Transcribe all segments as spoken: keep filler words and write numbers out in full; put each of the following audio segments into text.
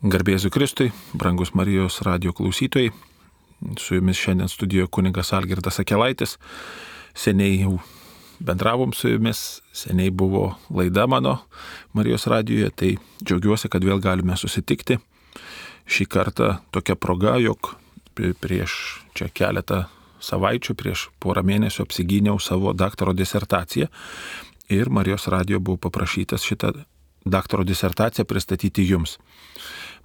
Garbė Jėzui Kristui, brangus Marijos radijo klausytojai, su jumis šiandien studijoje kunigas Algirdas Akelaitis. Seniai jau bendravom su jumis, seniai buvo laida mano Marijos radijoje, tai džiaugiuosi, kad vėl galime susitikti. Šį kartą tokia proga, jog prieš čia keletą savaičių, prieš porą mėnesių apsigyniau savo daktaro disertaciją ir Marijos radijo buvo paprašytas šitą daktaro disertaciją pristatyti jums.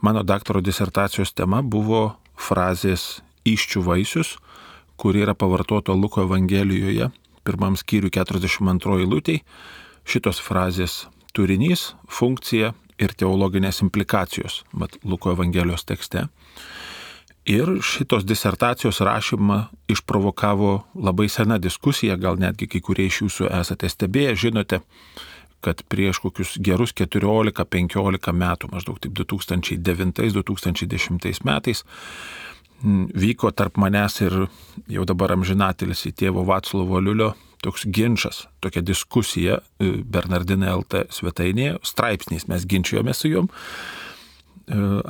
Mano daktaro disertacijos tema buvo frazės įsčių vaisius, kuri yra pavartota Luko Evangelijoje, pirmam skyriui keturiasdešimt antroji eilutė. Šitos frazės turinys, funkcija ir teologinės implikacijos, mat Luko Evangelijos tekste. Ir šitos disertacijos rašymą išprovokavo labai sena diskusija, gal netgi kai kurie iš jūsų esate stebėję, žinote, kad prieš kokius gerus keturiolika penkiolika metų, maždaug taip du tūkstančiai devintais du tūkstančiai dešimtais metais, vyko tarp manęs ir jau dabar amžinatilis į tėvo Vaclovo Aliulio toks ginčas, tokia diskusija Bernardinai L T svetainėje, straipsniais mes ginčijomės su jom,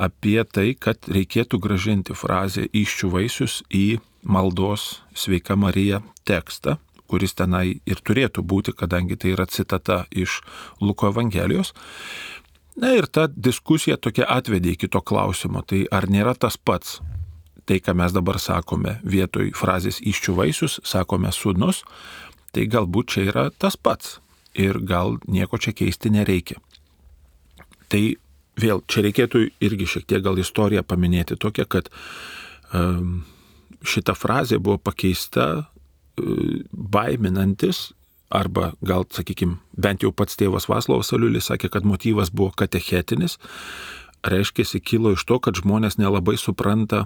apie tai, kad reikėtų grąžinti frazę įsčių vaisius į maldos Sveika Marija tekstą, kuris tenai ir turėtų būti, kadangi tai yra citata iš Luko Evangelijos. Na ir ta diskusija tokia atvedė iki to klausimo, tai ar nėra tas pats, tai ką mes dabar sakome, vietoj frazės įsčių vaisius, sakome sūnus, tai galbūt čia yra tas pats ir gal nieko čia keisti nereikia. Tai vėl, čia reikėtų irgi šiek tiek gal istoriją paminėti tokią, kad um, šita frazė buvo pakeista baiminantis, arba gal, sakykime, bent jau pats tėvas Vaclovas Aliulis sakė, kad motyvas buvo katechetinis, reiškėsi kilo iš to, kad žmonės nelabai supranta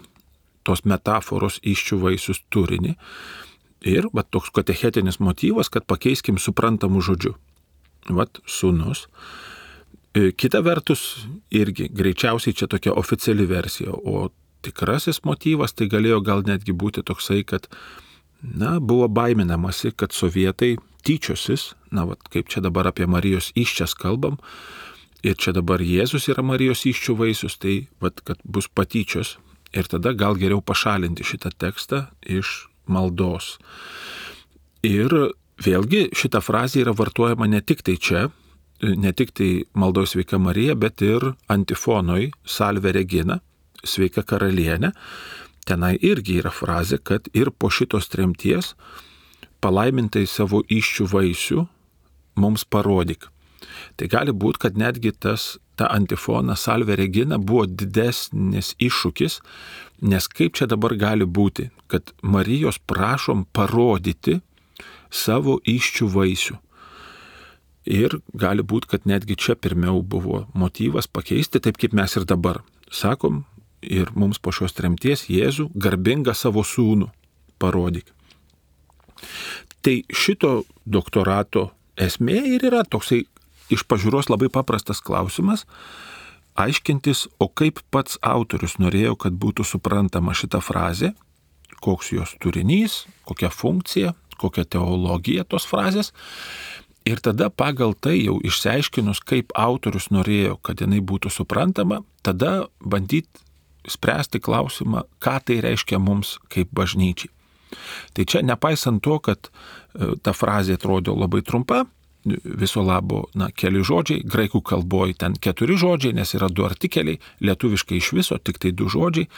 tos metaforos įsčių vaisius turinį. Ir va, toks katechetinis motyvas, kad pakeiskim suprantamų žodžių. Vat sūnus. Kita vertus, irgi greičiausiai čia tokia oficiali versija, o tikrasis motyvas tai galėjo gal netgi būti toksai, kad na, buvo baiminamasi, kad sovietai tyčiosis, na, vat, kaip čia dabar apie Marijos įsčias kalbam, ir čia dabar Jėzus yra Marijos įsčių vaisius, tai vat, kad bus patyčios, ir tada gal geriau pašalinti šitą tekstą iš maldos. Ir vėlgi šita frazė yra vartojama ne tik tai čia, ne tik tai maldos Sveika Marija, bet ir antifonoj Salve Regina, Sveika Karalienė. Tenai irgi yra frazė, kad ir po šitos tremties palaimintai savo įsčių vaisių mums parodyk. Tai gali būti, kad netgi tas, ta antifona Salve Regina buvo didesnis iššūkis, nes kaip čia dabar gali būti, kad Marijos prašom parodyti savo įsčių vaisių. Ir gali būti, kad netgi čia pirmiau buvo motyvas pakeisti, taip kaip mes ir dabar sakom, ir mums po šios tremties Jėzų garbingą savo sūnų parodyk. Tai šito doktorato esmė ir yra toksai iš pažiūros labai paprastas klausimas, aiškintis, o kaip pats autorius norėjo, kad būtų suprantama šita frazė, koks jos turinys, kokia funkcija, kokia teologija tos frazės. Ir tada pagal tai jau išsiaiškinus, kaip autorius norėjo, kad jinai būtų suprantama, tada bandyti spręsti klausimą, ką tai reiškia mums kaip bažnyčiai. Tai čia nepaisant to, kad ta frazė atrodo labai trumpa, viso labo, na, keli žodžiai, graikų kalboje ten keturi žodžiai, nes yra du artikeliai, lietuviškai iš viso tik tai du žodžiai,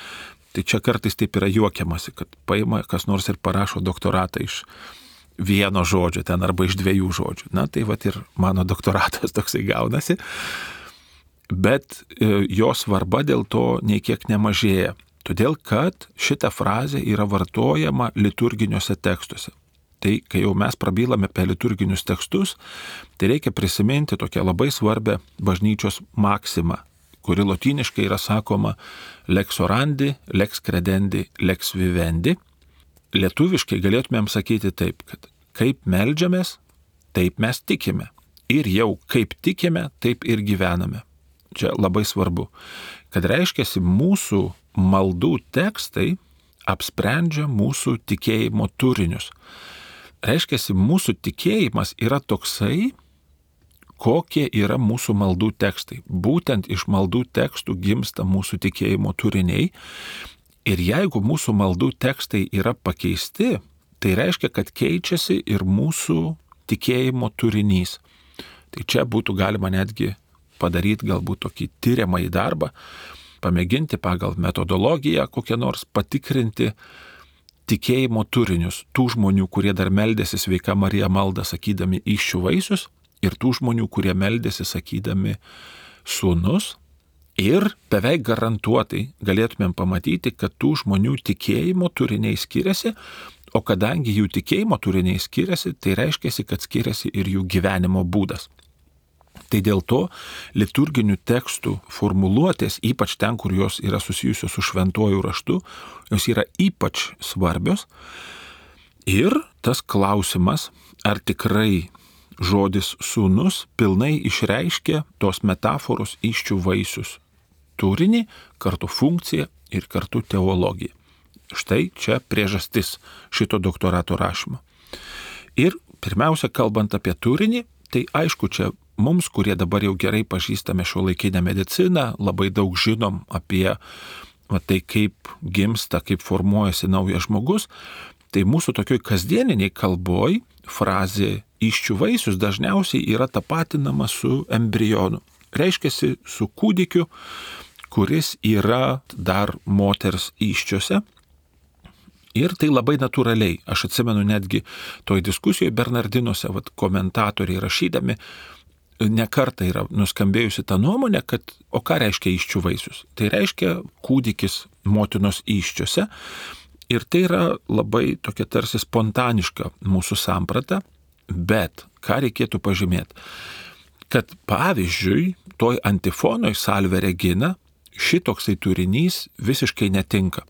tai čia kartais taip yra juokiamasi, kad paima kas nors ir parašo doktoratą iš vieno žodžio ten arba iš dviejų žodžių. Na, tai vat ir mano doktoratas toksai gaunasi. Bet jo svarba dėl to nei kiek nemažėja, todėl kad šita frazė yra vartojama liturginiuose tekstuose. Tai kai jau mes prabylame apie liturginius tekstus, tai reikia prisiminti tokią labai svarbę bažnyčios maksimą, kuri lotyniškai yra sakoma lex orandi, lex credendi, lex vivendi. Lietuviškai galėtumėm sakyti taip, kad kaip meldžiamės, taip mes tikime. Ir jau kaip tikime, taip ir gyvename. Čia labai svarbu, kad reiškiasi mūsų maldų tekstai apsprendžia mūsų tikėjimo turinius. Reiškiasi mūsų tikėjimas yra toksai, kokie yra mūsų maldų tekstai. Būtent iš maldų tekstų gimsta mūsų tikėjimo turiniai. Ir jeigu mūsų maldų tekstai yra pakeisti, tai reiškia, kad keičiasi ir mūsų tikėjimo turinys. Tai čia būtų galima netgi padaryti galbūt tokį tyriamąjį darbą, pamėginti pagal metodologiją kokią nors patikrinti tikėjimo turinius tų žmonių, kurie dar meldėsi Sveika Marija maldą sakydami įsčių vaisius, ir tų žmonių, kurie meldėsi sakydami sūnus, ir beveik garantuotai galėtumėm pamatyti, kad tų žmonių tikėjimo turiniai skiriasi, o kadangi jų tikėjimo turiniai skiriasi, tai reiškia, kad skiriasi ir jų gyvenimo būdas. Tai dėl to liturginių tekstų formuluotės, ypač ten, kur jos yra susijusios su šventuoju raštu, jos yra ypač svarbios. Ir tas klausimas, ar tikrai žodis sūnus pilnai išreiškia tos metaforos įsčių vaisius turinį, kartu funkciją ir kartu teologiją. Štai čia priežastis šito doktorato rašymo. Ir pirmiausia, kalbant apie turinį, tai aišku, čia mums, kurie dabar jau gerai pažįstame šiuolaikinę mediciną, labai daug žinom apie va, tai, kaip gimsta, kaip formuojasi naujas žmogus, tai mūsų tokioj kasdieniniai kalboj frazė įsčių vaisius dažniausiai yra tapatinama su embrionu. Reiškiasi su kūdikiu, kuris yra dar moters įsčiose. Ir tai labai natūraliai. Aš atsimenu netgi toj diskusijoje Bernardinuose, vat, komentatoriai rašydami, ne kartą yra nuskambėjusi ta nuomonė, kad o ką reiškia įsčių vaisius? Tai reiškia kūdikis motinos įsčiose. Ir tai yra labai tokia tarsi spontaniška mūsų samprata, bet ką reikėtų pažymėti? Kad pavyzdžiui, toj antifonoj Salve Regina šitoksai turinys visiškai netinka.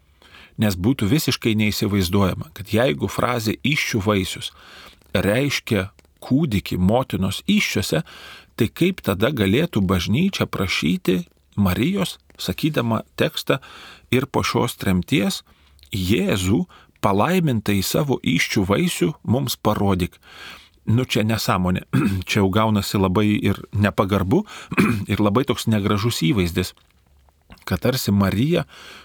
Nes būtų visiškai neįsivaizduojama, kad jeigu frazė įsčių vaisius reiškia kūdikį motinos įsčiose, tai kaip tada galėtų bažnyčia prašyti Marijos, sakydama tekstą ir po šios tremties, Jėzų palaimintą į savo įsčių vaisių mums parodyk. Nu čia nesąmonė, čia jau gaunasi labai ir nepagarbu ir labai toks negražus įvaizdis, kad tarsi Marija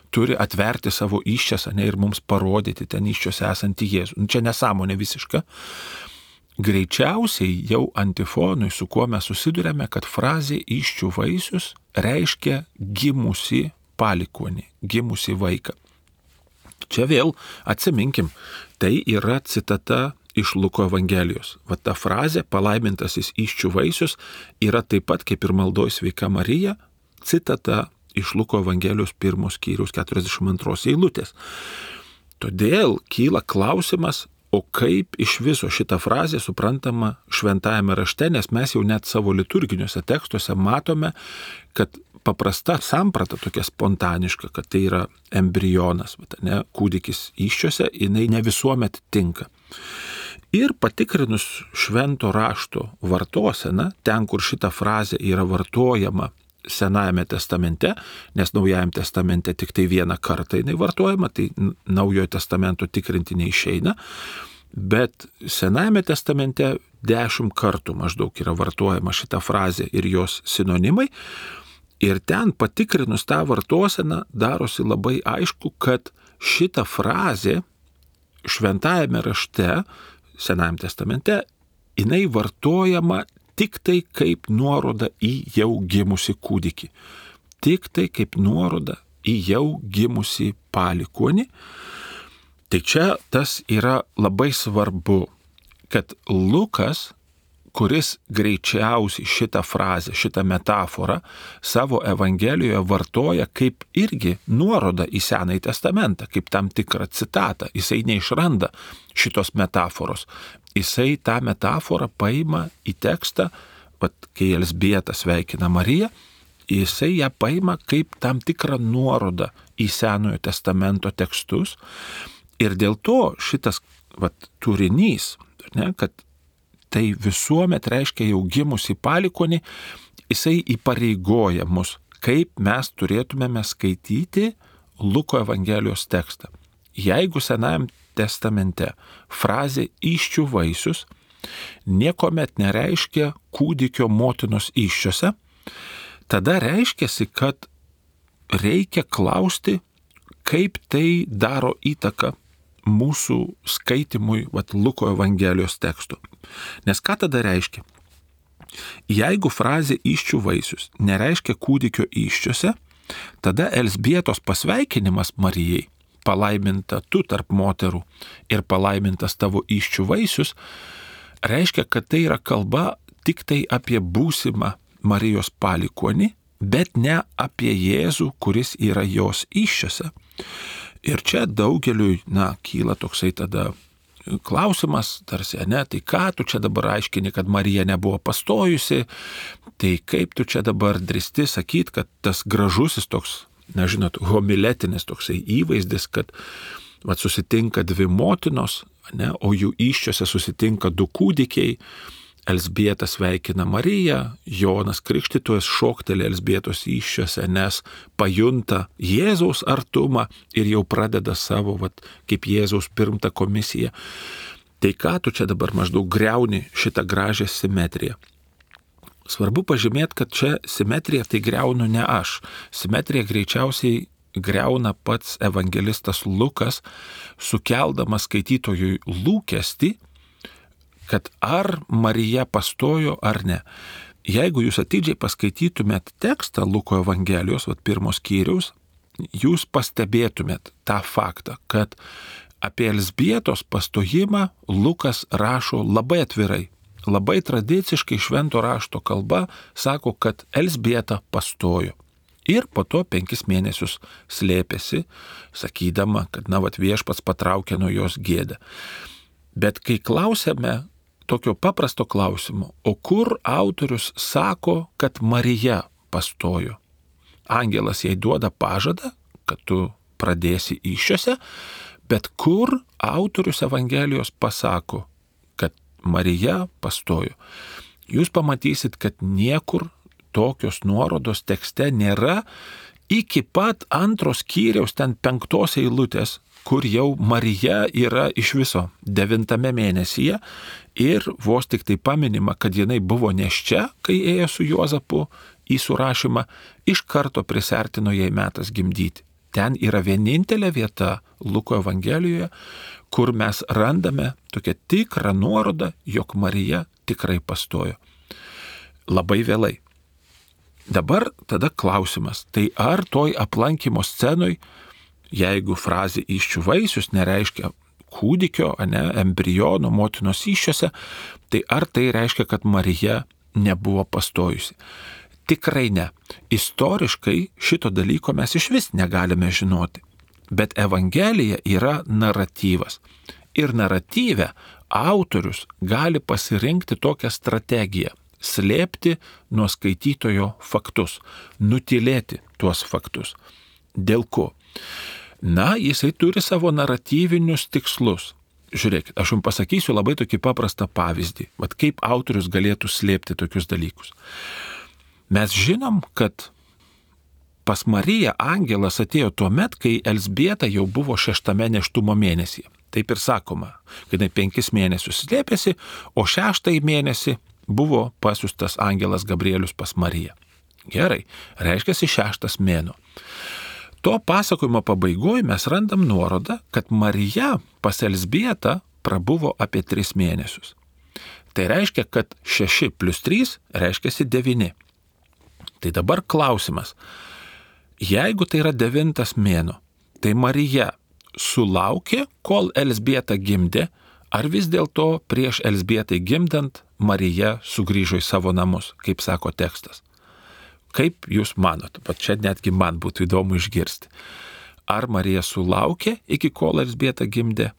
turi atverti savo įsčias, ne, ir mums parodyti ten įsčiose esantį Jėzų. Nu, čia nesąmonė visiška. Greičiausiai jau antifonui, su kuo mes susidurėme, kad frazė įsčių vaisius reiškia gimusi palikuonį, gimusi vaiką. Čia vėl atsiminkim, tai yra citata iš Luko Evangelijos. Va ta frazė palaimintasis įsčių vaisius yra taip pat kaip ir maldoj Sveika Marija, citata iš Luko Evangelijos pirmos skyriaus keturiasdešimt antros eilutės. Todėl kyla klausimas, o kaip iš viso šita frazė suprantama šventajame rašte, nes mes jau net savo liturginiuose tekstuose matome, kad paprasta samprata tokia spontaniška, kad tai yra embrionas, ne, kūdikis įsčiose, jinai ne visuomet tinka. Ir patikrinus švento rašto vartoseną, ten, kur šita frazė yra vartojama Senajame testamente, nes Naujajame testamente tik tai vieną kartą jinai vartojama, tai Naujojo testamento tikrinti neišeina, bet Senajame testamente dešimt kartų maždaug yra vartojama šita frazė ir jos sinonimai, ir ten patikrinus tą vartoseną darosi labai aišku, kad šita frazė šventajame rašte, Senajame testamente, jinai vartojama tik tai kaip nuoroda į jau gimusi kūdikį. Tik tai kaip nuoroda į jau gimusi palikuonį. Tai čia tas yra labai svarbu, kad Lukas, kuris greičiausiai šitą frazę, šitą metaforą savo Evangelijoje vartoja kaip irgi nuoroda į Senąjį testamentą, kaip tam tikrą citatą. Jisai neišranda šitos metaforos. Jisai tą metaforą paima į tekstą, pat, kai Elzbieta sveikina Mariją, jisai ją paima kaip tam tikrą nuorodą į Senojo testamento tekstus. Ir dėl to šitas vat, turinys, ne, kad tai visuomet reiškia jau gimusi palikuonį, jisai įpareigoja mus, kaip mes turėtumėme skaityti Luko Evangelijos tekstą. Jeigu Senajam testamente frazė įsčių vaisius niekuomet nereiškia kūdikio motinos įsčiose, tada reiškiasi, kad reikia klausti, kaip tai daro įtaką mūsų skaitimui vat, Luko Evangelijos tekstų. Nes ką tada reiškia? Jeigu frazė įsčių vaisius nereiškia kūdikio įsčiose, tada Elzbietos pasveikinimas Marijai, palaiminta tu tarp moterų ir palaimintas tavo įsčių vaisius, reiškia, kad tai yra kalba tik tai apie būsimą Marijos palikuonį, bet ne apie Jėzų, kuris yra jos įsčiose. Ir čia daugeliui, na, kyla toksai tada klausimas, tarsi, ne, tai ką tu čia dabar aiškini, kad Marija nebuvo pastojusi, tai kaip tu čia dabar drįsti sakyti, kad tas gražusis toks, na, žinot, homiletinis toksai įvaizdis, kad vat, susitinka dvi motinos, ne, o jų įsčiose susitinka du kūdikiai, Elzbieta sveikina Mariją, Jonas Krikštytojas šokteli Elzbietos įsčiose, nes pajunta Jėzaus artumą ir jau pradeda savo, vat, kaip Jėzaus pirmtako misiją. Tai ką tu čia dabar maždaug griauni šitą gražią simetriją? Svarbu pažymėti, kad čia simetriją tai griaunu ne aš. Simetriją greičiausiai griauna pats evangelistas Lukas, sukeldamas skaitytojui lūkestį, kad ar Marija pastojo ar ne. Jeigu jūs atidžiai paskaitytumėt tekstą Luko Evangelijos, vat pirmos skyriaus, jūs pastebėtumėt tą faktą, kad apie Elzbietos pastojimą Lukas rašo labai atvirai, labai tradiciškai švento rašto kalba sako, kad Elzbieta pastojo. Ir po to penkis mėnesius slėpėsi, sakydama, kad na, vat viešpats patraukė nuo jos gėdą. Bet kai klausėme tokio paprasto klausimo, o kur autorius sako, kad Marija pastojo? Angelas jai duoda pažadą, kad tu pradėsi įsčiose, bet kur autorius Evangelijos pasako, kad Marija pastojo? Jūs pamatysit, kad niekur tokios nuorodos tekste nėra iki pat antros skyriaus, ten penktos eilutės, kur jau Marija yra iš viso devintame mėnesyje ir vos tik tai paminima, kad jinai buvo nėščia, kai ėjo su Juozapu į surašymą, iš karto prisertino jai metas gimdyti. Ten yra vienintelė vieta Luko Evangelijoje, kur mes randame tokią tikrą nuorodą, jog Marija tikrai pastojo. Labai vėlai. Dabar tada klausimas, tai ar toj aplankymo scenoj, jeigu frazė įsčių vaisius nereiškia kūdikio, ne, embriono, motinos įsčiose, tai ar tai reiškia, kad Marija nebuvo pastojusi? Tikrai ne. Istoriškai šito dalyko mes iš vis negalime žinoti. Bet Evangelija yra naratyvas. Ir naratyve autorius gali pasirinkti tokią strategiją – slėpti nuo skaitytojo faktus, nutylėti tuos faktus. Dėl ko? Na, jisai turi savo naratyvinius tikslus. Žiūrėkit, aš jums pasakysiu labai tokį paprastą pavyzdį, vat kaip autorius galėtų slėpti tokius dalykus. Mes žinom, kad pas Mariją angelas atėjo tuo met, kai Elzbieta jau buvo šeštame nėštumo mėnesyje. Taip ir sakoma, kad jinai penkis mėnesius slėpėsi, o šeštąjį mėnesį buvo pasiųstas angelas Gabrielius pas Mariją. Gerai, reiškiasi šeštas mėnuo. To pasakojimo pabaigoje mes randam nuorodą, kad Marija pas Elzbietą prabuvo apie tris mėnesius. Tai reiškia, kad šeši plus trys reiškiasi devyni. Tai dabar klausimas. Jeigu tai yra devintas mėnuo, tai Marija sulaukė, kol Elzbieta gimdė, ar vis dėlto prieš Elzbietai gimdant Marija sugrįžo į savo namus, kaip sako tekstas? Kaip jūs manot? Bet čia netgi man būtų įdomu išgirsti. Ar Marija sulaukė iki kol Elzbieta gimdė,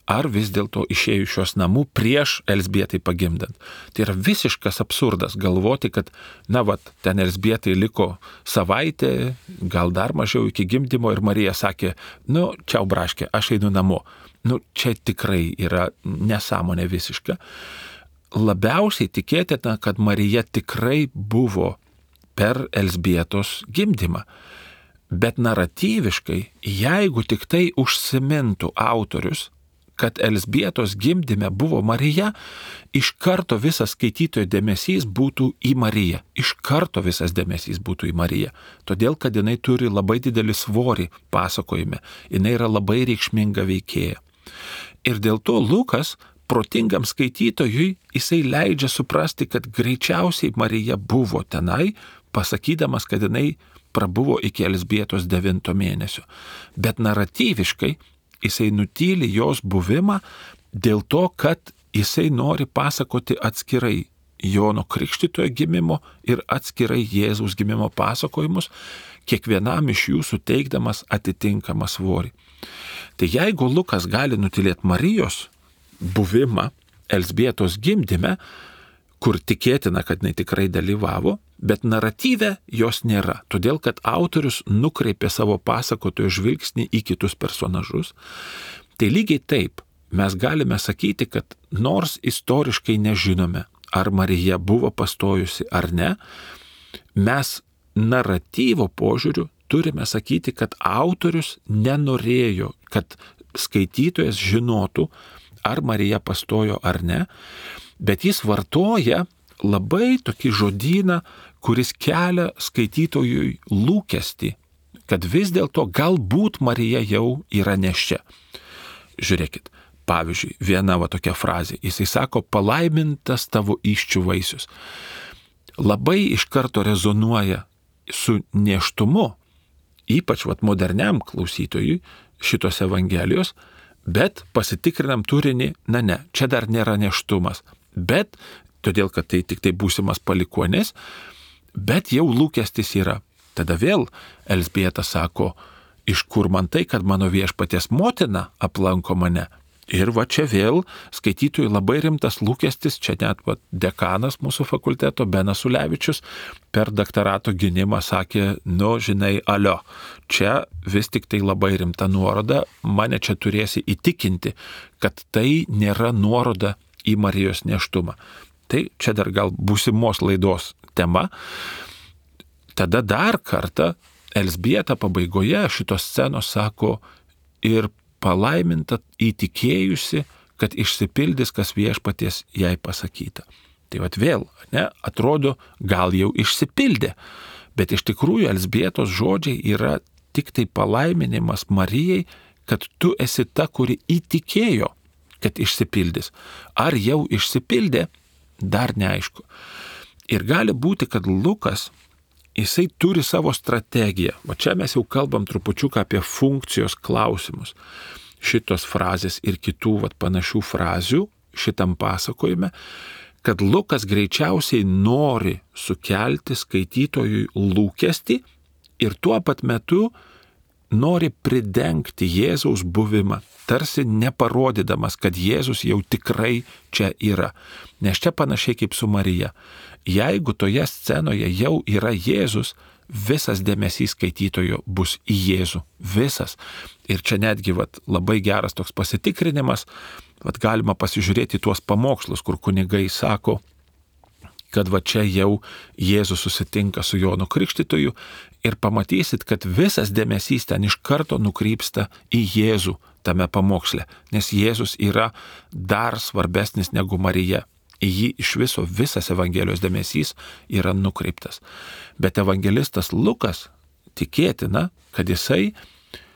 ar vis dėlto išėjo iš šios namų prieš Elzbietai pagimdant? Tai yra visiškas absurdas galvoti, kad, na vat, ten Elzbietai liko savaitę, gal dar mažiau iki gimdymo ir Marija sakė, nu, čiau braškė, aš einu namo. Nu, čia tikrai yra nesąmonė visiška. Labiausiai tikėtina, kad Marija tikrai buvo per Elzbietos gimdymą. Bet naratyviškai, jeigu tik tai užsimintų autorius, kad Elzbietos gimdyme buvo Marija, iš karto visas skaitytojo dėmesys būtų į Mariją. Iš karto visas dėmesys būtų į Mariją. Todėl, kad jinai turi labai didelį svorį pasakojime. Jinai yra labai reikšminga veikėja. Ir dėl to Lukas, protingam skaitytojui, jisai leidžia suprasti, kad greičiausiai Marija buvo tenai, pasakydamas, kad jinai prabuvo iki Elzbietos devinto mėnesio. Bet naratyviškai jisai nutyli jos buvimą dėl to, kad jisai nori pasakoti atskirai Jono Krikštytojo gimimo ir atskirai Jėzaus gimimo pasakojimus, kiekvienam iš jų suteikdamas atitinkamą svorį. Tai jeigu Lukas gali nutylėti Marijos buvimą Elzbietos gimdyme, kur tikėtina, kad jinai tikrai dalyvavo, bet naratyve jos nėra, todėl kad autorius nukreipė savo pasakotojo žvilgsnį į kitus personažus. Tai lygiai taip mes galime sakyti, kad nors istoriškai nežinome, ar Marija buvo pastojusi ar ne, mes naratyvo požiūriu turime sakyti, kad autorius nenorėjo, kad skaitytojas žinotų, ar Marija pastojo ar ne, bet jis vartoja labai tokį žodyną, kuris kelia skaitytojui lūkestį, kad vis dėlto galbūt Marija jau yra nėščia. Žiūrėkit, pavyzdžiui, viena va tokia frazė, jisai sako, palaimintas tavo įsčių vaisius. Labai iš karto rezonuoja su nėštumu, ypač vat moderniam klausytojui šitos Evangelijos, bet pasitikrinam turinį, na ne, čia dar nėra nėštumas, bet todėl, kad tai tik tai būsimas palikuonis, bet jau lūkestis yra. Tada vėl Elzbieta sako, iš kur man tai, kad mano viešpaties motina aplanko mane. Ir va čia vėl skaitytojui labai rimtas lūkestis, čia net va, dekanas mūsų fakulteto Benas Ulevičius per daktarato gynimą sakė, nu žinai, alio, čia vis tik tai labai rimta nuoroda, mane čia turėsi įtikinti, kad tai nėra nuoroda į Marijos nėštumą. Tai čia dar gal būsimos laidos tema. Tada dar kartą Elzbieta pabaigoje šitos scenos sako, ir palaiminta įtikėjusi, kad išsipildys, kas viešpaties jai pasakyta. Tai vat vėl, ne, atrodo, gal jau išsipildė, bet iš tikrųjų Elzbietos žodžiai yra tik tai palaiminimas Marijai, kad tu esi ta, kuri įtikėjo, kad išsipildys. Ar jau išsipildė, dar neaišku. Ir gali būti, kad Lukas, jisai turi savo strategiją. O čia mes jau kalbam trupučiuką apie funkcijos klausimus. Šitos frazės ir kitų vat, panašių frazių šitam pasakojime, kad Lukas greičiausiai nori sukelti skaitytojui lūkestį ir tuo pat metu nori pridengti Jėzaus buvimą, tarsi neparodydamas, kad Jėzus jau tikrai čia yra. Nes čia panašiai kaip su Marija. Jeigu toje scenoje jau yra Jėzus, visas dėmesys skaitytojo bus į Jėzų. Visas. Ir čia netgi vat, labai geras toks pasitikrinimas, vat, galima pasižiūrėti tuos pamokslus, kur kunigai sako, kad va čia jau Jėzus susitinka su Jonu Krikštytoju ir pamatysit, kad visas dėmesys ten iš karto nukrypsta į Jėzų tame pamoksle, nes Jėzus yra dar svarbesnis negu Marija. Į jį iš viso visas Evangelijos dėmesys yra nukreiptas. Bet evangelistas Lukas tikėtina, kad jisai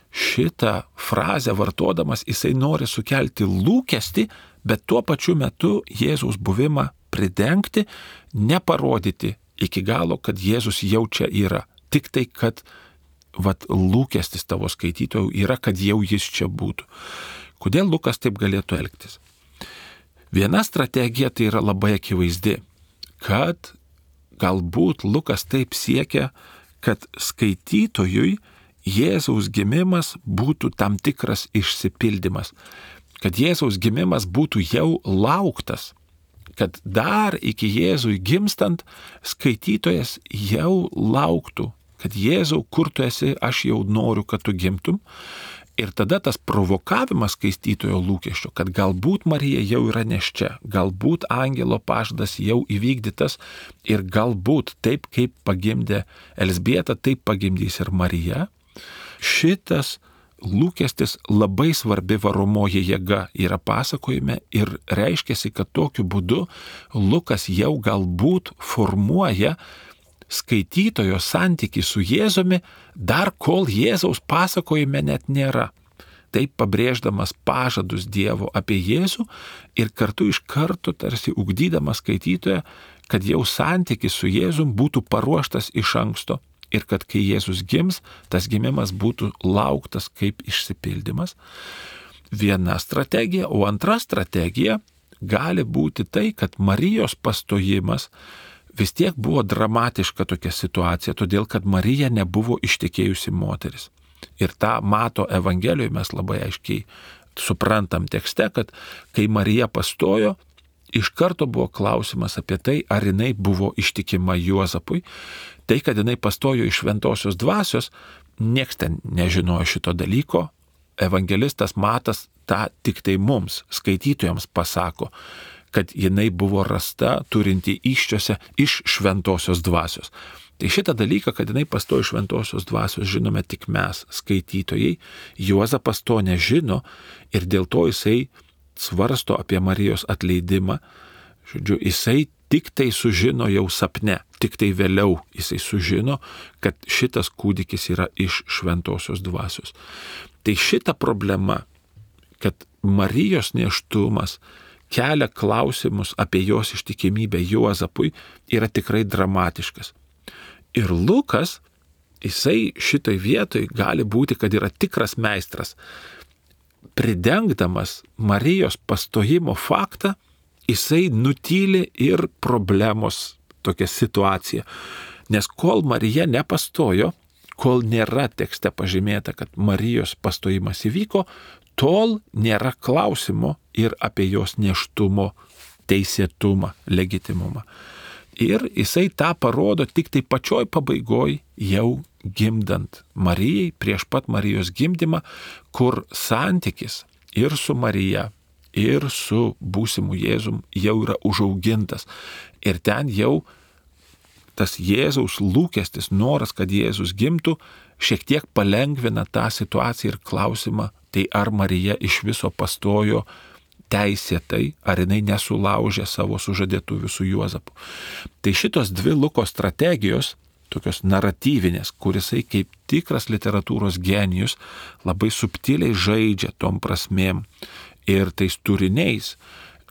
šitą frazę vartodamas, jisai nori sukelti lūkestį, bet tuo pačiu metu Jėzaus buvimą pridengti, neparodyti iki galo, kad Jėzus jau čia yra. Tik tai, kad vat, lūkestis tavo skaitytojų yra, kad jau jis čia būtų. Kodėl Lukas taip galėtų elgtis? Viena strategija tai yra labai akivaizdi, kad galbūt Lukas taip siekia, kad skaitytojui Jėzaus gimimas būtų tam tikras išsipildymas, kad Jėzaus gimimas būtų jau lauktas, kad dar iki Jėzui gimstant skaitytojas jau lauktų, kad Jėzau, kur tu esi, aš jau noriu, kad tu gimtum. Ir tada tas provokavimas skaitytojo lūkesčio, kad galbūt Marija jau yra nėščia, galbūt angelo pažadas jau įvykdytas ir galbūt taip, kaip pagimdė Elzbieta, taip pagimdys ir Marija. Šitas lūkestis labai svarbi varomoji jėga yra pasakojime ir reiškiasi, kad tokiu būdu Lukas jau galbūt formuoja skaitytojo santykį su Jėzumi, dar kol Jėzaus pasakojime net nėra. Taip pabrėždamas pažadus Dievo apie Jėzų ir kartu iš karto tarsi ugdydamas skaitytoją, kad jau santykis su Jėzum būtų paruoštas iš anksto ir kad kai Jėzus gims, tas gimimas būtų lauktas kaip išsipildymas. Viena strategija, o antra strategija gali būti tai, kad Marijos pastojimas vis tiek buvo dramatiška tokia situacija, todėl kad Marija nebuvo ištekėjusi moteris. Ir tą mato Evangelijoje mes labai aiškiai suprantam tekste, kad kai Marija pastojo, iš karto buvo klausimas apie tai, ar jinai buvo ištikima Juozapui. Tai, kad jinai pastojo iš šventosios dvasios, nieks ten nežinojo šito dalyko. Evangelistas Matas tą tik tai mums, skaitytojams, pasako, kad jinai buvo rasta turinti įsčiose iš šventosios dvasios. Tai šitą dalyką, kad jinai pastojo iš šventosios dvasios, žinome tik mes, skaitytojai. Juozapas to nežino ir dėl to jisai svarsto apie Marijos atleidimą. Žodžiu, jisai tik tai sužino jau sapne, tik tai vėliau jisai sužino, kad šitas kūdikis yra iš šventosios dvasios. Tai šita problema, kad Marijos nėštumas kelia klausimus apie jos ištikimybę Juozapui, yra tikrai dramatiškas. Ir Lukas, jisai šitoj vietoj gali būti, kad yra tikras meistras. Pridengdamas Marijos pastojimo faktą, jisai nutyli ir problemos tokią situaciją. Nes kol Marija nepastojo, kol nėra tekste pažymėta, kad Marijos pastojimas įvyko, tol nėra klausimo ir apie jos nėštumo teisėtumą, legitimumą. Ir jisai tą parodo tik tai pačioj pabaigoj, jau gimdant Marijai, prieš pat Marijos gimdymą, kur santykis ir su Marija, ir su būsimu Jėzum jau yra užaugintas. Ir ten jau tas Jėzaus lūkestis, noras, kad Jėzus gimtų, šiek tiek palengvina tą situaciją ir klausimą, tai ar Marija iš viso pastojo teisėtai, ar jinai nesulaužė savo sužadėtuvių su Juozapu. Tai šitos dvi Luko strategijos, tokios naratyvinės, kurisai kaip tikras literatūros genijus labai subtiliai žaidžia tom prasmėm ir tais turiniais,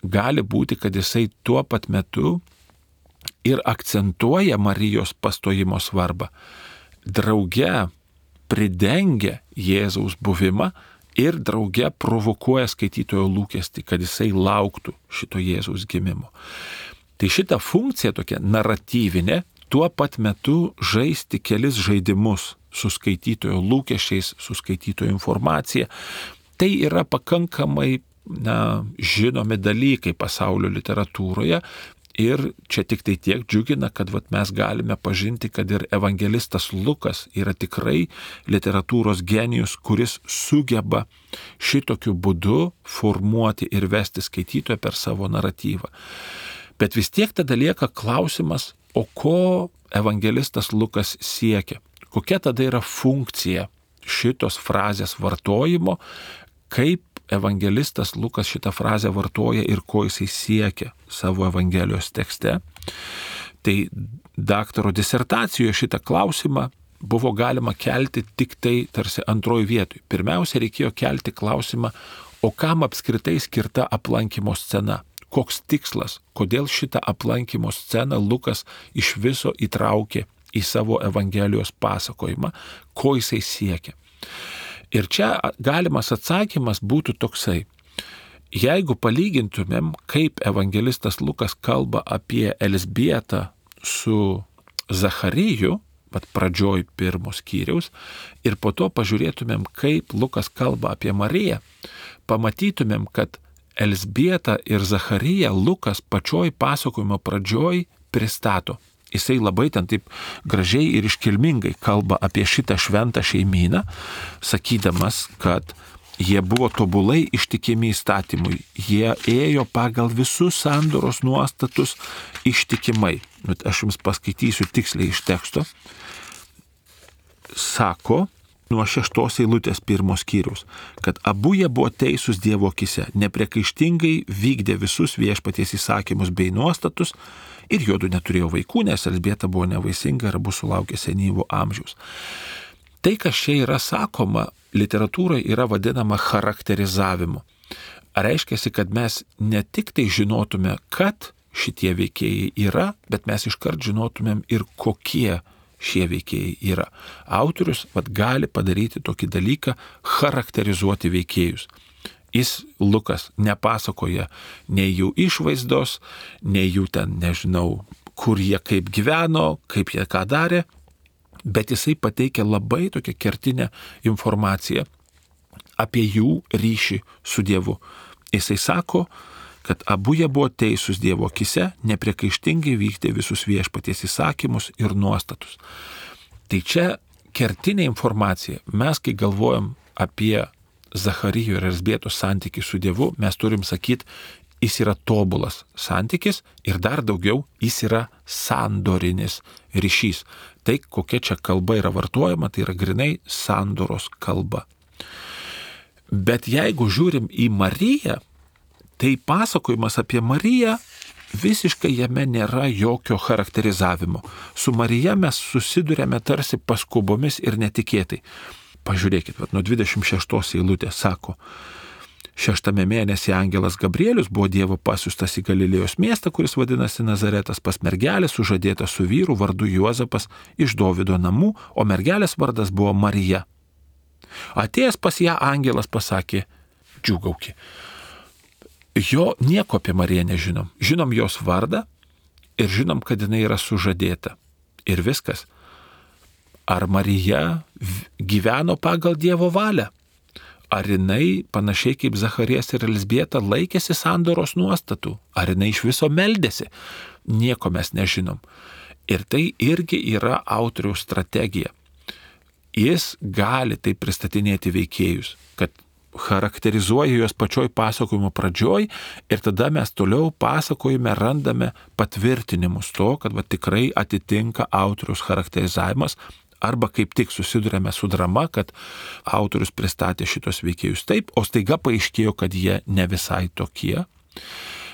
gali būti, kad jisai tuo pat metu ir akcentuoja Marijos pastojimo svarbą, drauge pridengia Jėzaus buvimą ir drauge provokuoja skaitytojo lūkestį, kad jisai lauktų šito Jėzaus gimimo. Tai šita funkcija tokia naratyvinė, tuo pat metu žaisti kelis žaidimus su skaitytojo lūkesčiais, su skaitytojo informacija, tai yra pakankamai na, žinomi dalykai pasaulio literatūroje. Ir čia tik tai tiek džiugina, kad vat, mes galime pažinti, kad ir evangelistas Lukas yra tikrai literatūros genijus, kuris sugeba šitokiu būdu formuoti ir vesti skaitytoją per savo naratyvą. Bet vis tiek tada lieka klausimas, o ko evangelistas Lukas siekia? Kokia tada yra funkcija šitos frazės vartojimo, kaip evangelistas Lukas šitą frazę vartoja ir ko jisai siekia savo Evangelijos tekste. Tai daktaro disertacijoje šitą klausimą buvo galima kelti tik tai tarsi antroji vietoj. Pirmiausia, reikėjo kelti klausimą, o kam apskritai skirta aplankymo scena? Koks tikslas? Kodėl šitą aplankymo sceną Lukas iš viso įtraukė į savo Evangelijos pasakojimą? Ko jisai siekia? Ir čia galimas atsakymas būtų toksai. Jeigu palygintumėm, kaip evangelistas Lukas kalba apie Elzbietą su Zachariju, pat pradžioj pirmos skyriaus, ir po to pažiūrėtumėm, kaip Lukas kalba apie Mariją, pamatytumėm, kad Elzbietą ir Zachariją Lukas pačioj pasakojimo pradžioj pristato. Jisai labai ten taip gražiai ir iškilmingai kalba apie šitą šventą šeimyną, sakydamas, kad jie buvo tobulai ištikimi įstatymui, jie ėjo pagal visus sandoros nuostatus ištikimai. Bet aš jums paskaitysiu tiksliai iš teksto. Sako, nuo šeštos eilutės pirmos skyrius, kad abu jie buvo teisūs Dievo akise, nepriekaištingai vykdė visus viešpaties įsakymus bei nuostatus ir juodu neturėjo vaikų, nes Elzbieta buvo nevaisinga ir abu sulaukė senyvo amžiaus. Tai, kas čia yra sakoma, literatūroje yra vadinama charakterizavimu. Reiškia, kad mes ne tik tai žinotume, kad šitie veikėjai yra, bet mes iškart žinotumėm ir kokie šie veikėjai yra. Autorius vat, gali padaryti tokį dalyką, charakterizuoti veikėjus. Jis, Lukas, nepasakoja nei jų išvaizdos, nei jų ten, nežinau, kur jie kaip gyveno, kaip jie ką darė, bet jisai pateikia labai tokią kertinę informaciją apie jų ryšį su Dievu. Jisai sako, kad abu jie buvo teisūs Dievo akise, nepriekaištingai vykdė visus viešpaties įsakymus ir nuostatus. Tai čia kertinė informacija. Mes, kai galvojam apie Zacharijo ir Elzbietos santykį su Dievu, mes turim sakyti, jis yra tobulas santykis ir dar daugiau, jis yra sandorinis ryšys. Tai, kokia čia kalba yra vartojama, tai yra grinai sandoros kalba. Bet jeigu žiūrim į Mariją, tai pasakojimas apie Mariją visiškai jame nėra jokio charakterizavimo. Su Marija mes susidurėme tarsi paskubomis ir netikėtai. Pažiūrėkit, vat, nuo dvidešimt šeštos eilutės sako, šeštame mėnesį angelas Gabrielius buvo Dievo pasiųstas į Galilėjos miestą, kuris vadinasi Nazaretas, pas mergelę sužadėtą su vyru vardu Juozapas iš Dovydo namų, o mergelės vardas buvo Marija. Atėjęs pas ją angelas pasakė, džiūgauki. Jo nieko apie Mariją nežinom. Žinom jos vardą ir žinom, kad jinai yra sužadėta. Ir viskas. Ar Marija gyveno pagal Dievo valią? Ar jinai, panašiai kaip Zacharijas ir Elzbieta, laikėsi sandoros nuostatų? Ar jinai iš viso meldėsi? Nieko mes nežinom. Ir tai irgi yra autoriaus strategija. Jis gali tai pristatinėti veikėjus, kad charakterizuoja juos pačioj pasakojimo pradžioj ir tada mes toliau pasakojime randame patvirtinimus to, kad va, tikrai atitinka autoriaus charakterizavimas arba kaip tik susidurėme su drama, kad autorius pristatė šitos veikėjus taip, o staiga paaiškėjo, kad jie ne visai tokie.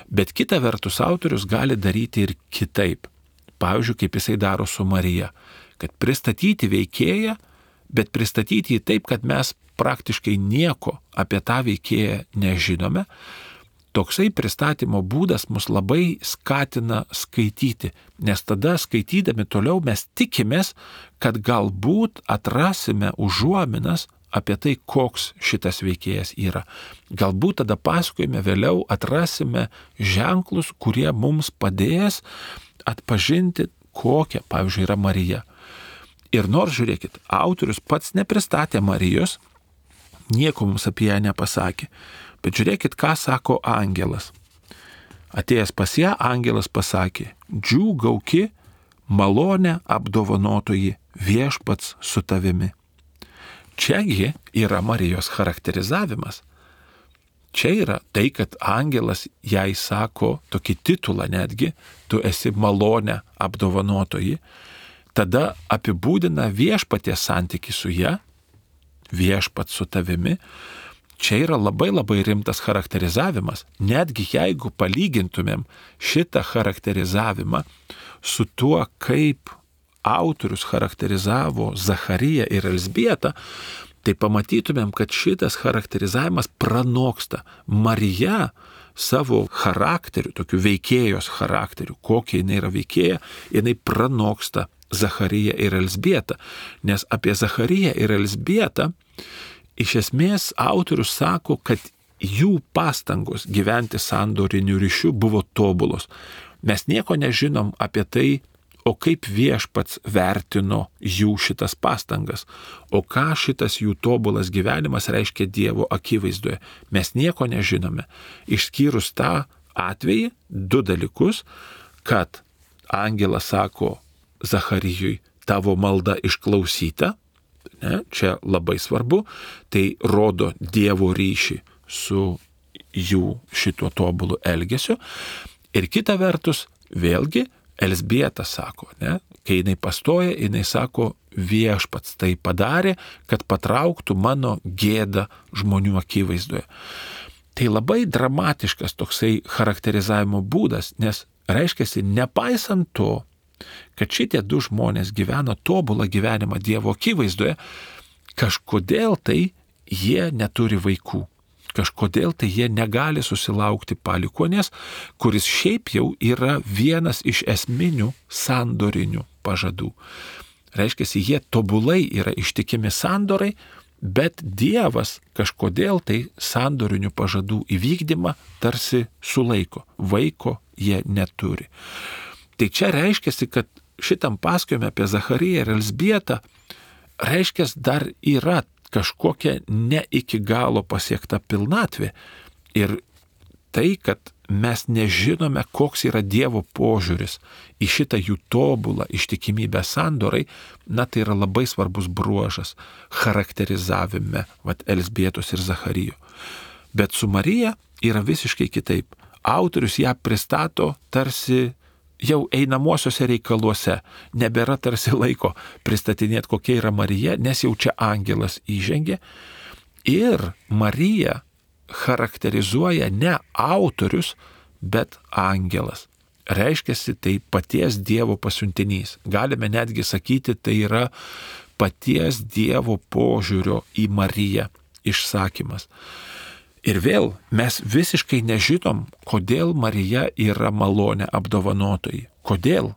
Bet kita vertus autorius gali daryti ir kitaip. Pavyzdžiui, kaip jisai daro su Marija, kad pristatyti veikėją, bet pristatyti jį taip, kad mes praktiškai nieko apie tą veikėją nežinome. Toksai pristatymo būdas mus labai skatina skaityti, nes tada skaitydami toliau mes tikimės, kad galbūt atrasime užuominas apie tai, koks šitas veikėjas yra. Galbūt tada pasakojime vėliau atrasime ženklus, kurie mums padės atpažinti, kokia, pavyzdžiui, yra Marija. Ir nors, žiūrėkit, autorius pats nepristatė Marijos, nieko mums apie ją nepasakė. Bet žiūrėkit, ką sako angelas. Atėjęs pas ją, angelas pasakė, džiūgauki, malonę apdovanotoji, viešpats su tavimi. Čiagi yra Marijos charakterizavimas. Čia yra tai, kad angelas jai sako tokį titulą netgi, tu esi malonę apdovanotoji, tada apibūdina viešpaties santykį su ja, viešpats su tavimi. Čia yra labai labai rimtas charakterizavimas. Netgi jeigu palygintumėm šitą charakterizavimą su tuo, kaip autorius charakterizavo Zachariją ir Elzbietą, tai pamatytumėm, kad šitas charakterizavimas pranoksta. Marija savo charakteriu, tokiu veikėjos charakteriu, kokia jinai yra veikėja, jinai pranoksta Zachariją ir Elzbietą. Nes apie Zachariją ir Elzbietą iš esmės autorius sako, kad jų pastangos gyventi sandoriniu ryšiu buvo tobulos. Mes nieko nežinom apie tai, o kaip viešpats vertino jų šitas pastangas, o ką šitas jų tobulas gyvenimas reiškia Dievo akivaizdoje. Mes nieko nežinome. Išskyrus tą atvejį, du dalykus, kad angelas sako Zacharijui, tavo malda išklausyta, ne, čia labai svarbu, tai rodo Dievo ryšį su jų šituo tobulu elgesiu. Ir kita vertus, vėlgi, Elzbieta sako, ne, kai jinai pastoja, jinai sako, viešpats tai padarė, kad patrauktų mano gėdą žmonių akivaizdoje. Tai labai dramatiškas toksai charakterizavimo būdas, nes reiškiasi, nepaisant to, kad šitie du žmonės gyvena tobulą gyvenimą Dievo akivaizdoje, kažkodėl tai jie neturi vaikų. Kažkodėl tai jie negali susilaukti palikuonės, kuris šiaip jau yra vienas iš esminių sandorinių pažadų. Reiškiasi, jie tobulai yra ištikimi sandorai, bet Dievas kažkodėl tai sandorinių pažadų įvykdymą tarsi sulaiko. Vaiko jie neturi. Tai čia reiškiasi, kad šitam pasakojime apie Zachariją ir Elzbietą reiškiasi dar yra kažkokia ne iki galo pasiekta pilnatvė. Ir tai, kad mes nežinome, koks yra Dievo požiūris į šitą jų tobulą ištikimybę sandorai, na tai yra labai svarbus bruožas charakterizavime vat, Elzbietos ir Zacharijo. Bet su Marija yra visiškai kitaip. Autorius ją pristato tarsi jau einamosiuose reikaluose, nebėra tarsi laiko pristatinėti, kokia yra Marija, nes jau čia angelas įžengė. Ir Marija charakterizuoja ne autorius, bet angelas. Reiškiasi, tai paties Dievo pasiuntinys. Galime netgi sakyti, tai yra paties Dievo požiūrio į Mariją išsakymas. Ir vėl mes visiškai nežinom, kodėl Marija yra malonė apdovanotoji. Kodėl?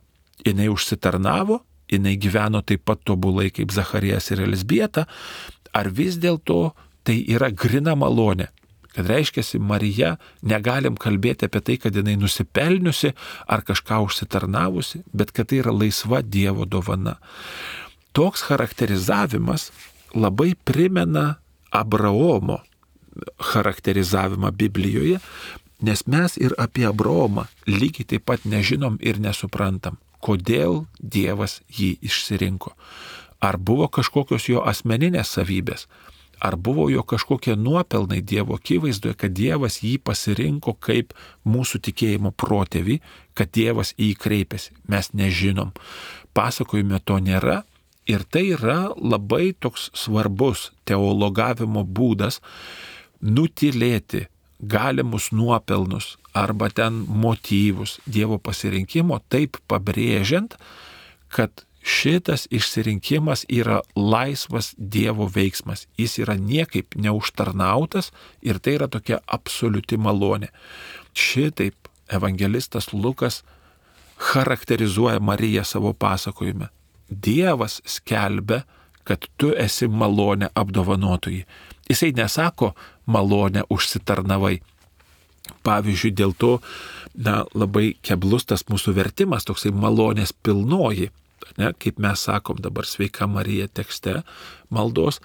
Jinai užsitarnavo, jinai gyveno taip pat tobulai kaip Zacharijas ir Elzbieta, ar vis dėlto tai yra grina malonė. Kad reiškiasi, Marija, negalim kalbėti apie tai, kad jinai nusipelniusi ar kažką užsitarnavusi, bet kad tai yra laisva Dievo dovana. Toks charakterizavimas labai primena Abraomo charakterizavimą Biblijoje, nes mes ir apie Abraomą lygiai taip pat nežinom ir nesuprantam, kodėl Dievas jį išsirinko. Ar buvo kažkokios jo asmeninės savybės, ar buvo jo kažkokie nuopelnai Dievo akivaizdoje, kad Dievas jį pasirinko kaip mūsų tikėjimo protėvį, kad Dievas į jį kreipėsi. Mes nežinom. Pasakojime to nėra. Ir tai yra labai toks svarbus teologavimo būdas nutilėti galimus nuopelnus arba ten motyvus Dievo pasirinkimo, taip pabrėžiant, kad šitas išsirinkimas yra laisvas Dievo veiksmas. Jis yra niekaip neužtarnautas ir tai yra tokia absoliuti malonė. Šitaip evangelistas Lukas charakterizuoja Mariją savo pasakojime. Dievas skelbia, kad tu esi malonė apdovanotoji. Jisai nesako malonė užsitarnavai. Pavyzdžiui, dėl to na, labai keblus tas mūsų vertimas, toksai malonės pilnoji, ne, kaip mes sakom dabar sveika Marija tekste maldos,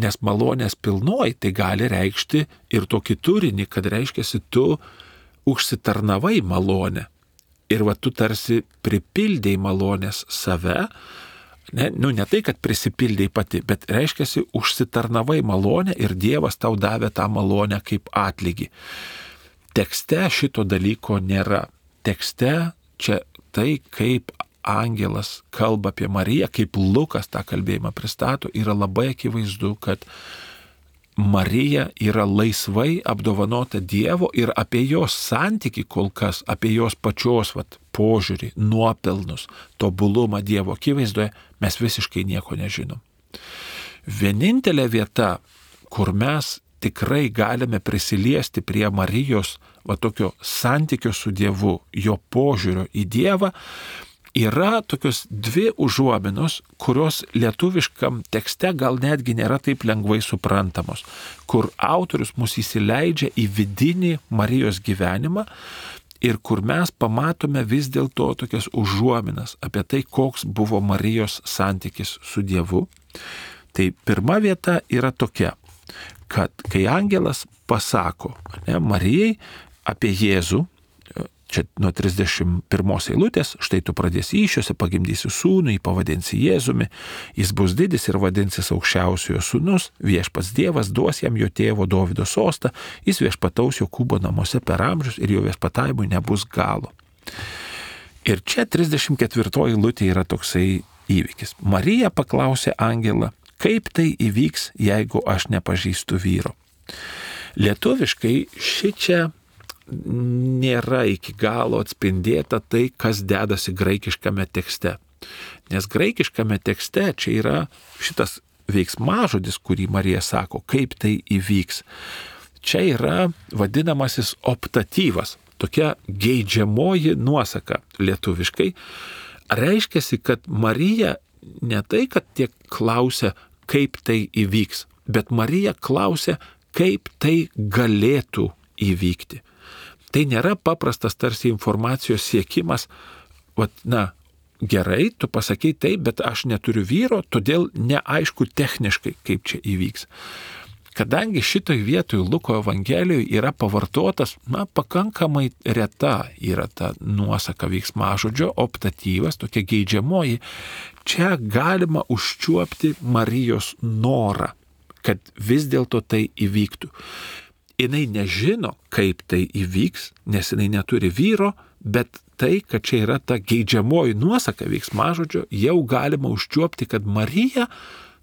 nes malonės pilnoji tai gali reikšti ir tokį turinį, kad reiškiasi tu užsitarnavai malonę. Ir va tu tarsi pripildėjai malonės save, ne, nu ne tai, kad prisipildėjai pati, bet reiškiasi užsitarnavai malonę ir Dievas tau davė tą malonę kaip atlygį. Tekste šito dalyko nėra. Tekste čia tai, kaip angelas kalba apie Mariją, kaip Lukas tą kalbėjimą pristato, yra labai akivaizdu, kad Marija yra laisvai apdovanota Dievo ir apie jos santykį kol kas, apie jos pačios vat, požiūrį, nuopelnus, tobulumą Dievo akivaizdoje mes visiškai nieko nežinom. Vienintelė vieta, kur mes tikrai galime prisiliesti prie Marijos va, tokio santykio su Dievu, jo požiūrio į Dievą, yra tokios dvi užuominos, kurios lietuviškam tekste gal netgi nėra taip lengvai suprantamos, kur autorius mus įsileidžia į vidinį Marijos gyvenimą ir kur mes pamatome vis dėlto tokias užuominas apie tai, koks buvo Marijos santykis su Dievu. Tai pirma vieta yra tokia, kad kai angelas pasako ne, Marijai apie Jėzų, čia nuo trisdešimt pirmos eilutės, štai tu pradėsi įsčiose, pagimdysi sūnų, jį pavadinsi Jėzumi, jis bus didis ir vadinsis aukščiausiojo sūnus, viešpats Dievas duos jam jo tėvo Dovydo sostą, jis viešpataus Jokūbo namuose per amžius ir jo viešpatavimui nebus galo. Ir čia trisdešimt ketvirtoji eilutė yra toksai įvykis. Marija paklausė angelą, kaip tai įvyks, jeigu aš nepažįstu vyro. Lietuviškai šičia nėra iki galo atspindėta tai, kas dedasi graikiškame tekste. Nes graikiškame tekste čia yra šitas veiksmažodis, kurį Marija sako, kaip tai įvyks. Čia yra vadinamasis optatyvas, tokia geidžiamoji nuosaka lietuviškai. Reiškiasi, kad Marija ne tai, kad tiek klausia, kaip tai įvyks, bet Marija klausia, kaip tai galėtų įvykti. Tai nėra paprastas tarsi informacijos siekimas, vat, na, gerai, tu pasakai taip, bet aš neturiu vyro, todėl neaišku techniškai, kaip čia įvyks. Kadangi šitoj vietoj Luko Evangelijoje yra pavartotas, na, pakankamai reta yra ta nuosaka veiksmažodžio, optatyvas, tokia geidžiamoji, čia galima užčiuopti Marijos norą, kad vis dėlto tai įvyktų. Jinai nežino, kaip tai įvyks, nes jinai neturi vyro, bet tai, kad čia yra ta geidžiamoji nuosaka veiksmažodžio, jau galima užčiuopti, kad Marija,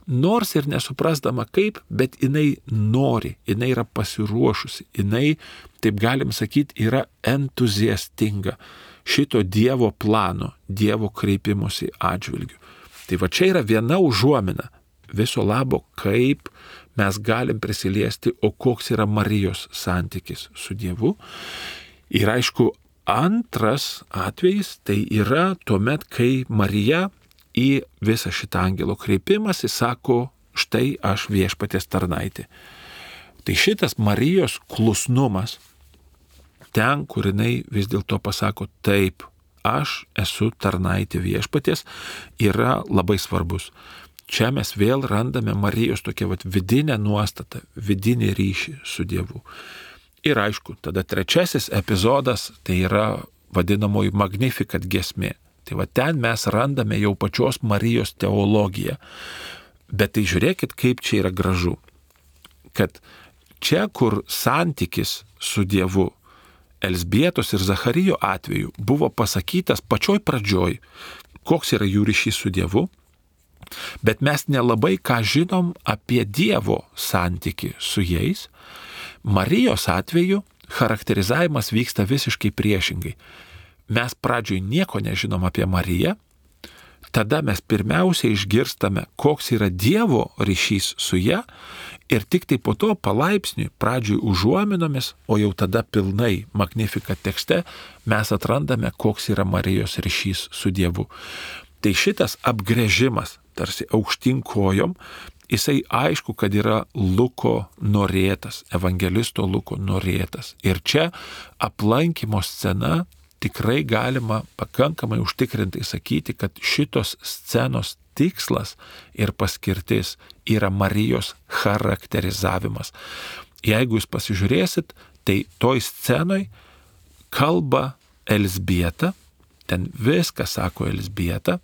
nors ir nesuprasdama kaip, bet jinai nori, jinai yra pasiruošusi, jinai, taip galim sakyti, yra entuziastinga šito Dievo plano, Dievo kreipimosi atžvilgiu. Tai va čia yra viena užuomina viso labo, kaip mes galim prisiliesti, o koks yra Marijos santykis su Dievu. Ir aišku, antras atvejis tai yra tuomet, kai Marija į visą šitą angelo kreipimąsi sako, štai aš viešpaties tarnaitė. Tai šitas Marijos klusnumas, ten, kur jinai vis dėlto pasako, taip, aš esu tarnaitė viešpaties, yra labai svarbus. Čia mes vėl randame Marijos tokią vat, vidinę nuostatą, vidinį ryšį su Dievu. Ir aišku, tada trečiasis epizodas, tai yra vadinamoji Magnificat giesmė. Tai va ten mes randame jau pačios Marijos teologiją. Bet tai žiūrėkit, kaip čia yra gražu. Kad čia, kur santykis su Dievu, Elzbietos ir Zacharijo atveju buvo pasakytas pačioj pradžioj, koks yra jų ryšys su Dievu, bet mes nelabai ką žinom apie Dievo santykį su jais. Marijos atveju charakterizavimas vyksta visiškai priešingai. Mes pradžioj nieko nežinom apie Mariją, tada mes pirmiausia išgirstame, koks yra Dievo ryšys su ja ir tik tai po to palaipsniui, pradžioj užuominomis, o jau tada pilnai Magnificat tekste mes atrandame, koks yra Marijos ryšys su Dievu. Tai šitas apgręžimas, tarsi aukštyn kojom, jisai aišku, kad yra Luko norėtas, evangelisto Luko norėtas. Ir čia aplankymo scena tikrai galima pakankamai užtikrintai sakyti, kad šitos scenos tikslas ir paskirtis yra Marijos charakterizavimas. Jeigu jūs pasižiūrėsit, tai toj scenoj kalba Elzbieta, ten viskas sako Elzbieta,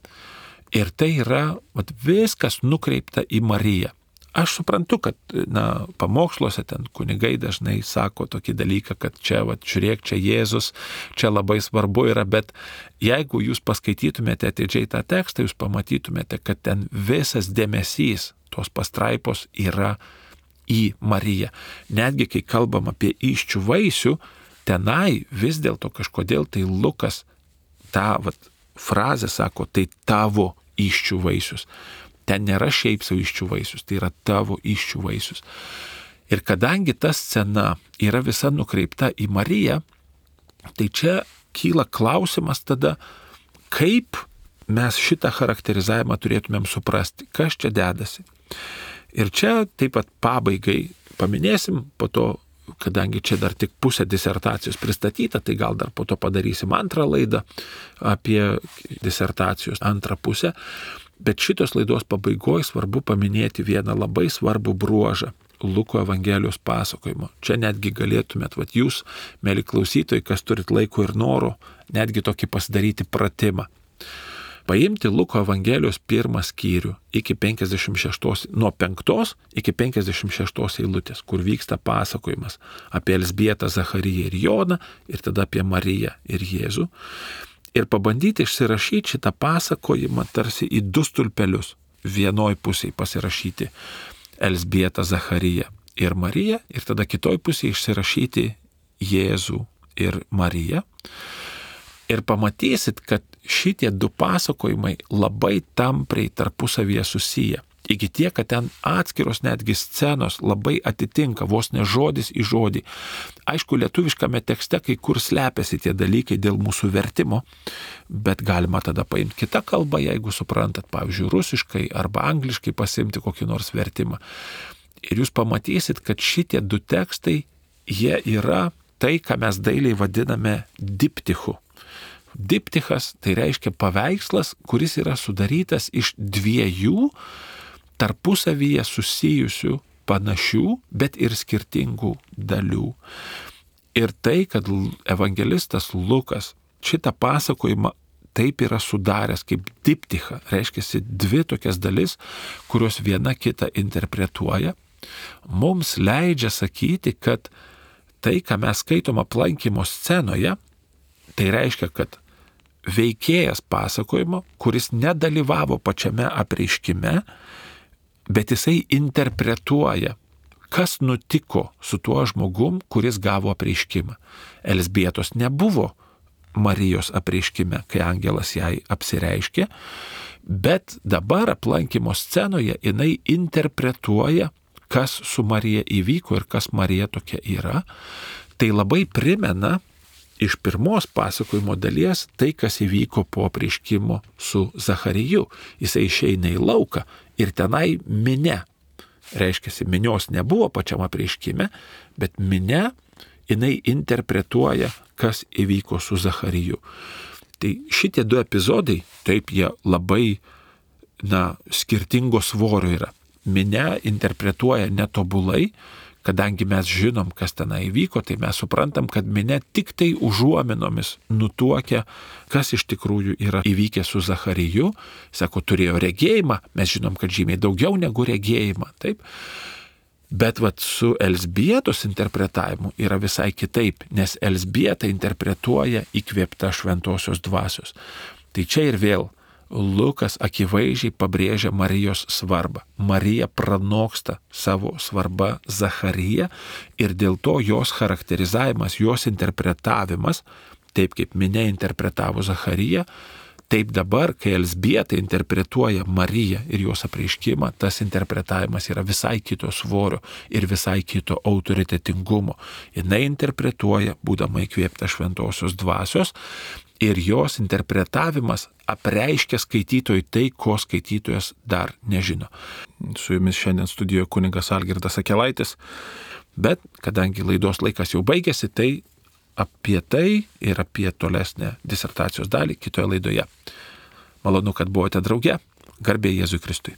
ir tai yra vat, viskas nukreipta į Mariją. Aš suprantu, kad na, pamoksluose ten kunigai dažnai sako tokį dalyką, kad čia, vat, žiūrėk, čia Jėzus, čia labai svarbu yra, bet jeigu jūs paskaitytumėte atidžiai tą tekstą, jūs pamatytumėte, kad ten visas dėmesys tos pastraipos yra į Mariją. Netgi kai kalbam apie įsčių vaisių, tenai vis dėlto kažkodėl tai Lukas tą vat, frazę sako, tai tavo įsčių vaisius. Ten nėra šiaip savo įsčių vaisius, tai yra tavo įsčių vaisius. Ir kadangi ta scena yra visa nukreipta į Mariją, tai čia kyla klausimas tada, kaip mes šitą charakterizavimą turėtumėm suprasti, kas čia dedasi. Ir čia taip pat pabaigai paminėsim, po to, kadangi čia dar tik pusė disertacijos pristatyta, tai gal dar po to padarysim antrą laidą apie disertacijos antrą pusę. Bet šitos laidos pabaigoje svarbu paminėti vieną labai svarbų bruožą Luko Evangelijos pasakojimo. Čia netgi galėtumėt, vat jūs, mėly klausytojai, kas turit laiko ir noro, netgi tokį pasidaryti pratimą. Paimti Luko Evangelijos pirmą skyrių iki penkiasdešimt šeštos, nuo penktos iki penkiasdešimt šeštos eilutės, kur vyksta pasakojimas apie Elzbietą, Zachariją ir Joną ir tada apie Mariją ir Jėzų. ir pabandyti išsirašyti šitą pasakojimą tarsi į du stulpelius. Vienoj pusėje pasirašyti Elzbietą, Zachariją ir Mariją, ir tada kitoj pusėje išsirašyti Jėzų ir Mariją. Ir pamatysit, kad šitie du pasakojimai labai tampriai tarpusavyje susiję. Iki tiek, kad ten atskiros netgi scenos labai atitinka, vos ne žodis į žodį. Aišku, lietuviškame tekste kai kur slepiasi tie dalykai dėl mūsų vertimo, bet galima tada paimti kitą kalbą, jeigu suprantat, pavyzdžiui, rusiškai arba angliškai pasimti kokį nors vertimą. Ir jūs pamatysit, kad šitie du tekstai, jie yra tai, ką mes dailiai vadiname diptichu. Diptichas tai reiškia paveikslas, kuris yra sudarytas iš dviejų tarpusavyje susijusių panašių, bet ir skirtingų dalių. Ir tai, kad evangelistas Lukas šitą pasakojimą taip yra sudaręs kaip diptichą, reiškia dvi tokias dalis, kurios viena kitą interpretuoja, mums leidžia sakyti, kad tai, ką mes skaitom aplankymo scenoje, tai reiškia, kad veikėjas pasakojimo, kuris nedalyvavo pačiame apreiškime, bet jisai interpretuoja, kas nutiko su tuo žmogum, kuris gavo apreiškimą. Elzbietos nebuvo Marijos apreiškime, kai angelas jai apsireiškė, bet dabar aplankymo scenoje jinai interpretuoja, kas su Marija įvyko ir kas Marija tokia yra. Tai labai primena iš pirmos pasakojimo dalies tai, kas įvyko po apreiškimo su Zachariju. Jisai išeina į lauką ir tenai minia. Reiškia, minios nebuvo pačiam apreiškime, bet minia, jinai interpretuoja, kas įvyko su Zachariju. Tai šitie du epizodai, taip jie labai, na, skirtingo svorio yra. Minia interpretuoja netobulai, kadangi mes žinom, kas tenai įvyko, tai mes suprantam, kad minia tik tai užuominomis nutuokia, kas iš tikrųjų yra įvykę su Zachariju. Sako, turėjo regėjimą, mes žinom, kad žymiai daugiau negu regėjimą, taip. Bet vat su Elzbietos interpretavimu yra visai kitaip, nes Elzbieta interpretuoja įkvėpta šventosios dvasios. Tai čia ir vėl Lukas akivaizdžiai pabrėžia Marijos svarbą. Marija pranoksta savo svarbą Zachariją ir dėl to jos charakterizavimas, jos interpretavimas, taip kaip minia interpretavo Zachariją, taip dabar, kai Elzbieta interpretuoja Mariją ir jos apreiškimą, tas interpretavimas yra visai kito svorio ir visai kito autoritetingumo. Jinai interpretuoja, būdama įkvėpta šventosios dvasios, ir jos interpretavimas apreiškia skaitytojui tai, ko skaitytojas dar nežino. Su jumis šiandien studijoje kunigas Algirdas Akelaitis, bet kadangi laidos laikas jau baigėsi, tai apie tai ir apie tolesnę disertacijos dalį kitoje laidoje. Malonu, kad buvote drauge. Garbė Jėzui Kristui.